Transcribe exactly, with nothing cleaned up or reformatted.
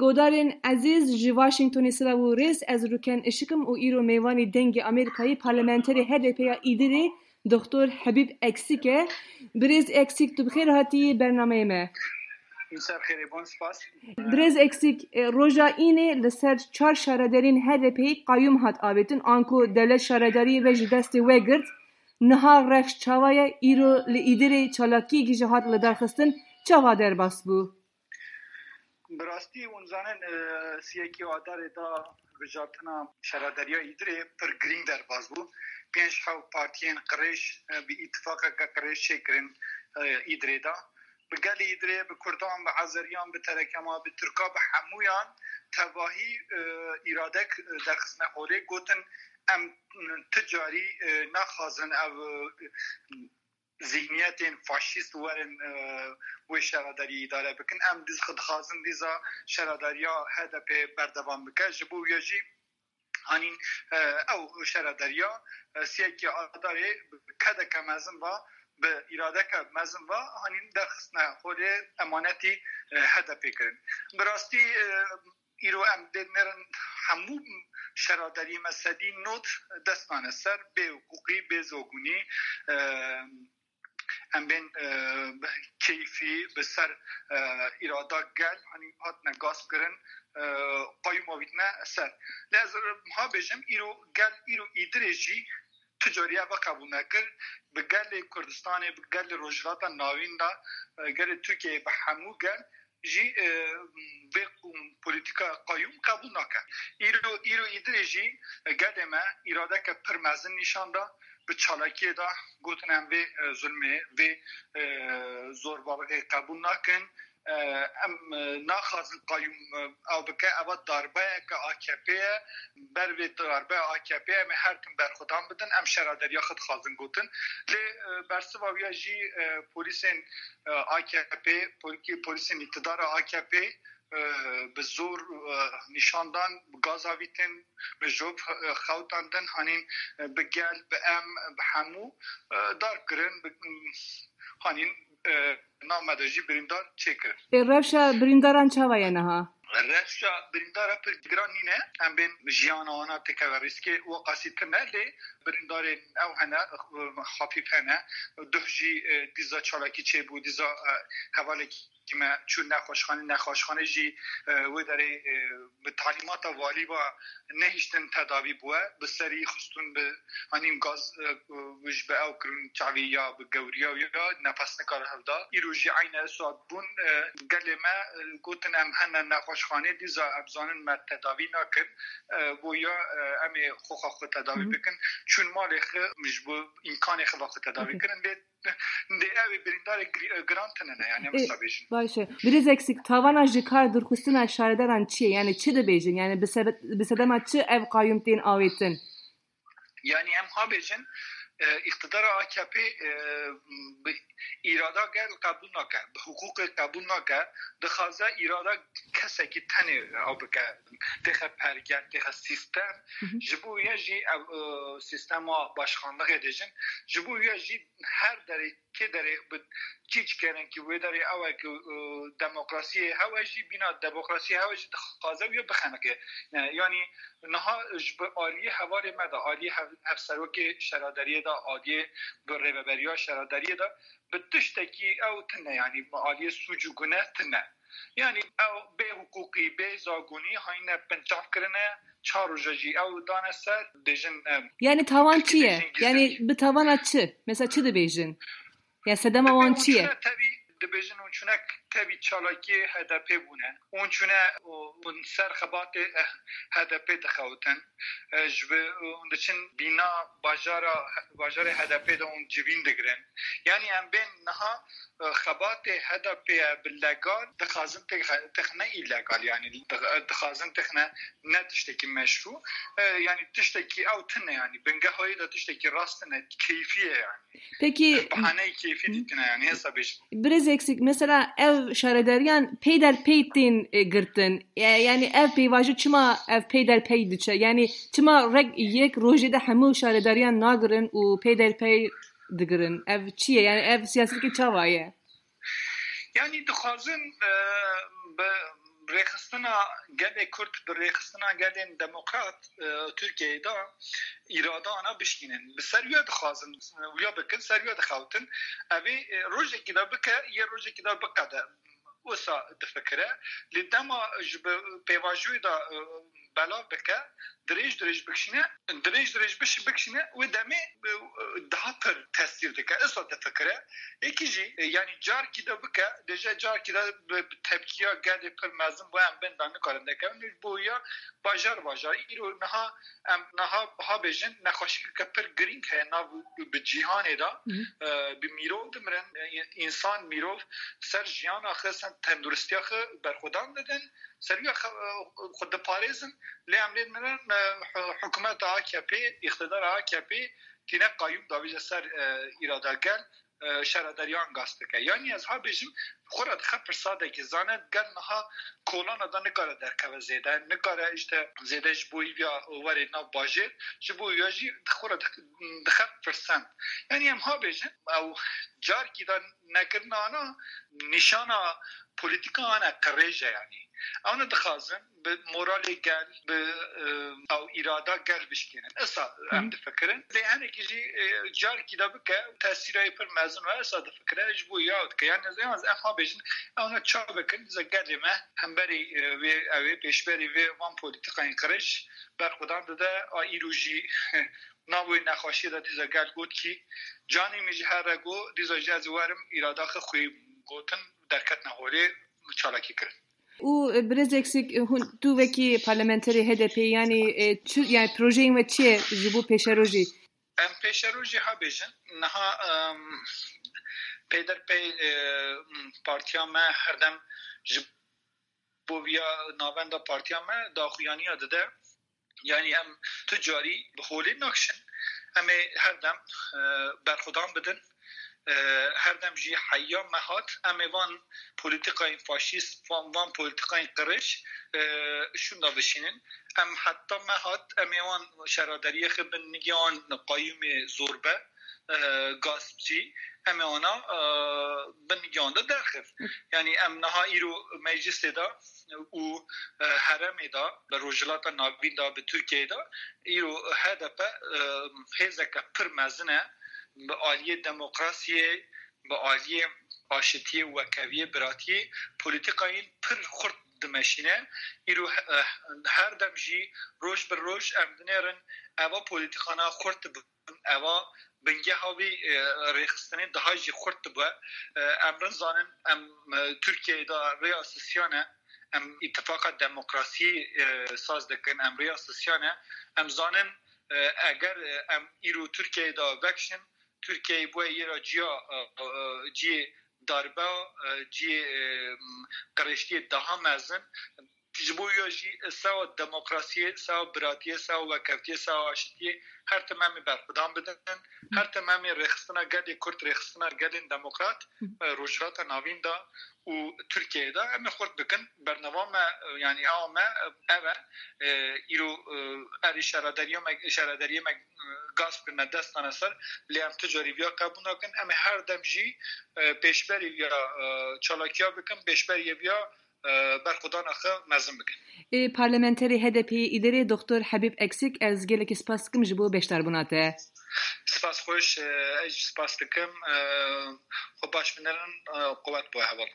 Godarên ezîz, ji Washingtonê silav û rêz, ez Rûken Işik im û îro mêvanê Dengê Amerîkayê parlamenterê H D P ya Îdirê, Doktor Hebîb Eksik e. Birêz Eksik, tu bi xêr hatî bernameyê me. Ser xêrê, bon spas. Birêz Eksik, e, roja înê li ser çar şaredarên H D P'yê qayûm hat avêtin, anku dewlet şaredariyê ve ji destê we girt. Niha rewş çawa ye? Îro li Îdirê çalakiyekî jî hat lidarxistin, çawa derbas bû? Bi rastî hûn zanin, e, siyekê Adarê de hilbijartina şaredariya Îdirê pir girîng derbas bû. Pênc hew partiyên qirêj, e, bi îtifaqeke qirêj çêkirin, e, Îdirê de. Bi gelê Îdirê, bi Kurdan, bi Azeriyan, bi Terekema, bi Tirka, bi hemûyan tevahî, e, îradek, e, derxistine holê, gotin, em, e, ti carî, e, naxwazin ev, e, zihniyetên faşîst werin, e, wê şaredariyê îdare bikin. Em diz-, dixwazin dîza şaredariya H D P berdewam bike. Ji bo wê jî hanîn, e, ew şaredariya, e, siyekê Adarê bi kedeke mezin ve, bi îradeke mezin ve hanîn derxistine holê emanetî, e, H D P kirin. Bi rastî, e, îro em dê nerin hemû şaredariyê me sedî nod dest nane ser, bê hiqûqî, bê zogunî, e, em bên, e, bi keyfî bi ser, e, îrada gel, hanî hatine gasv kirin, e, qayûm avîtine ser. Lê ez ha bêjim, îro gel, îro Îdirê jî tu carî ev qebûl nekir. Bi gelê Kurdistanê, bi gelê Rojhilata Navîn de, e, gelê Tirkiyeyê bi hemû gel jî, e, vê qûm-, polîtîka qayûm qebûl nake. Îro, îro Îdirê jî, e, gelê me îradeke pir mezin nîşan da, bi çalakiyê de gotin, em vê, e, zulmê, vê, e, zorbalixê qebûl nakin. E, em, e, naxwazin qayûm, e, ew bike, eva darbeyeke A K P ye. Ber vê darbeya A K P em ê her tim berxwedan bidin, em şaredariya xwe dixwazin gotin. Lê, e, bersiva wî ya jî, e, polîsên, e, A K P, polîkî-, polîsên îktidara A K P, e, bi zor, e, nîşan dan, bi gaz avîtin, bi jop, e, xewtandin, hanîn, e, bi gel, bi em, bi hemû, e, darb kirin, bi, hanîn, e, nav me de jî birîndar çêkirin. Ê, rewşa birîndaran çawa ye niha? Rewşa birîndara pir giran nîne. Em bên jiyana wana têkeve rîskê, weqasî tune, lê birîndarên ew hene, e, xafîf hene. Duh jî, e, dîza çalakî çêbû, dîza, e, hevalekî me çû nexweşxanê, nexweşxanê jî, e, wê derê, e, bi talîmata valî ve nehiştin tedavî bûye, bi serî xistûn, bi hanîn gaz, e, ji bi ew kirin çavî ya bi gewriya ya nefes nikare hevda. Îro jî eyne saet bûn, e, gelê me, e, gotin em hene nexweşxanê, dîza em zanin me tedavî nakin. E, boya, e, em ê xwexa xwe tedavî Hı hı. bikin. Çûn malê xwe ji bo îmkanê xwe ve xwe tedavî Okey. kirin. Lê Dê ew ê birîndarê gri-, giran tune ne, yani, em Ê, wisa bêjin. Baş e. Birêz Eksik, tavana ji kar dûrxistina şaredaran çi ye? Yani çi dibêjin? Yani bi sebe-, bi sedema çi ev qayûm tên awêtin? Yani em ha bêjin, e, îqtidara A K P, e, bi îrada gel qebûl nake, bi hiqûqê qebûl nake, dixwaze îrada kesekî tenê ew bike, têxe pergel, têxe sîstem. Hı hı. Ji bo wê jî ev, e, sîstema başxanlixê dêjin, ji bo wê jî her derê kê derê bi çî çikerin ki wê derê ew e ki, e, demokrasiyê hewe jî, bîna demokrasiyê hewe jî dixwaze wê bixeniqe. E, yanî niha ji bi aliyê hevalê me de, aliyê hev-, hevserokê şaredariyê de, aliyê bi rêveberiya şaredariyê de bi tiştekî ew tune, yanî bi aliyê sûc û gune tune. Yanî ew bê hiqûqî, bê zagonî hayne pinçav kirine, çar roja jî ew dane ser, dêjin, em, Yani tawan çi ye? Yani bi tavana çi? Mesela çi dibêjin? Ya sedema wan çi ye? Hûn çûne tevî, dibêjin hûn çûne tevî çalakiyê H D P bûne. Hûn çûne û hûn ser xebatê, eh, H D P dixewitin. Eh, ji bi, hûn diçin bîna bajara, bajarê H D P de hûn civîn digirin. Yani em bên niha, eh, xebatê H D P ye bi legal, dixwazin têxe-, têxine îlegal, yani dix-, dixwazin têxine ne tiştekî meşrû. Eh, yani tiştekî ew tune, yani bingeha wê de tiştekî rast tune, keyfî ye yani. Peki, Bahaneyê keyfî Hı. dîtine, yani hesa bêjin. Birêz Eksik, mesela ev şaredariyan peyderpey tên, e, girtin. Ya-, yani ev pêvajo çima ev peyderpey diçe? Yani çima rek yek rojê de hemû şaredariyan nagirin û peyderpey digirin? Ev çi ye? Yani ev siyaseteke çawa ye? Yani dixwazin, e, bi Rêxistina gelê Kurd bi rêxistina gelên demokrat, e, Tirkiyeyê de îrada ana bişkînin. Bi ser wî dixwazin, wî bikin, ser wî dixewtin. Evê, e, rojekî de bike, yê rojekî de biqede. Wisa difikire. Lê dema ji bi pêvajoyê de, e, belav bike, dirêj dirêj bikişîne, dirêj dirêj biş-, bikişîne, wê demê, e, daha pir tesîr dike. Wisa difikire. Êkî jî, e, yanî carkî de bike, dêje carkî de bi, bi tepkiya gelê pir mezin bo em bên de nikarin derkevin. Ji bo ya bajar bajar. Îro niha em niha biha bêjin, nexweşiyeke pir girîng heye nav bi cîhanê de. Hı hı. E, bi mîrov dimirin, e, însan mîrov ser jiyana xwe, ser tenduristiya xwe berxwedan didin, ser wî xwe, xwe diparêzin, lê em lê dimirin, e, hi-, hikûmeta A K P, îqtidara A K P tîne qayûm davêje ser, e, îrada gel, e, şaredariyan gas dike. Yanî ez ha bêjim, xwe re dixe pirsadekê, zane gel niha kolana de nikare derkeve zêde, nikare işte zêde ji bo hîviya were nav bajêr, ji bo ya jî xwe re dix-, dixe pirsend. Yanî em ha bêjin, ew carkî de nekirina ana nîşana polîtika ana qirêj e yanî. Ew ne dixwazin bi moralê gel, bi, e, ew îrada gel bişkînin. Esa em Hı. difikirin. Lê hinekî jî, e, carkî de bike, tesîra wê pir mezin e, esa difikire, ji bo ya dike. Yanî ez, ez, em ha bêjin, ew ne ça bikin, dîsa gelê me, hemberî, e, wê, ew ê pêşberî vê van polîtikayên qirêj berxwedan dide, a îro jî nav wê nexweşiyê de dîsa gel got kî, canê min ji her re got, dîsa jî ez werim, îrada xwe xwê gotin, derketina holê, çalakî kirin. Û, e, birêz Eksik, e, hûn, tu wekî parlamenterê H D P, yanî, e, çi, yanî projeyên we çi ye ji bo pêşerojê? Em pêşerojê ha bêjin, niha, em, peyderpey, e, partiya me herdem ji bo viya navenda partiya me daxuyaniya dide. Yanî em tu carî bi holê nakişin. Em ê her dem, e, berxwedan bidin. E, her dem jî heya me hat, em ê van polîtikayên faşîst, van, van polîtikayên qirêj, e, şûnda bişînin. Em heta me hat, em ê wan şaredariyê xwe bin nigê wan qayûmê zorbe, e, gaspçî, em ê wana, e, bin nigê wan de derxin. Yanî em niha îro meclisê de û, e, herêmê de, bi Rojhilata Navîn de, bi Tirkiyeyê de, îro H D P, e, hêzeke pir mezin e, bi aliyê demokrasiyê, bi aliyê aşitiyê, wekeviyê, biratiyê, polîtikayên pir xurt dimeşîne. Îro, e, her dem jî roj bi roj em dinêrin, eva polîtikana xurt dibin, eva bingeha vê, e, rêxistinê daha jî xurt dibe. E, em rin zanin, em, e, Tirkiyeyê de rêya sisiyan e, em îtifaqa demokrasiyê, e, saz dikin, em rêya sisiyan e. Em zanin, e, eger, e, em îro Tirkiyeyê de vekişin, Tirkiyeyê bûye yê ra ciya, e, e, ciyê darbe, e, ciyê, e, qirêjtiyê daha mezin. Ji bo ya jî sewa demokrasiyê, sewa biratiyê, sewa wekevtiyê, sewa aşitiyê her tim em ê berxwedan bidin. Her tim em ê rêxistina gelê Kurd, rêxistina gelên demokrat, e, Rojhilata Navîn de û Tirkiyeyê de em ê xurt bikin. Bernama me, e, yanî awa me, e, ev e. E, îro, e, erê şaredariya me, şaredariyê me, e, gasp kirine, dest dane ser, lê em tu carî viya qebûl nakin. Em ê her dem jî, e, pêşberî viya, e, çalakiya bikin, pêşberî viya, e, berxwedana xwe mezin bikin. Ê, parlamenterê H D P'ê îderê Doktor Habîb Eksik, ez gelekî spas dikim ji bo beşdarbûna te. Spas xweş, e, ez jî spas dikim. E, xwe baş binerin, e, quwet bo heval.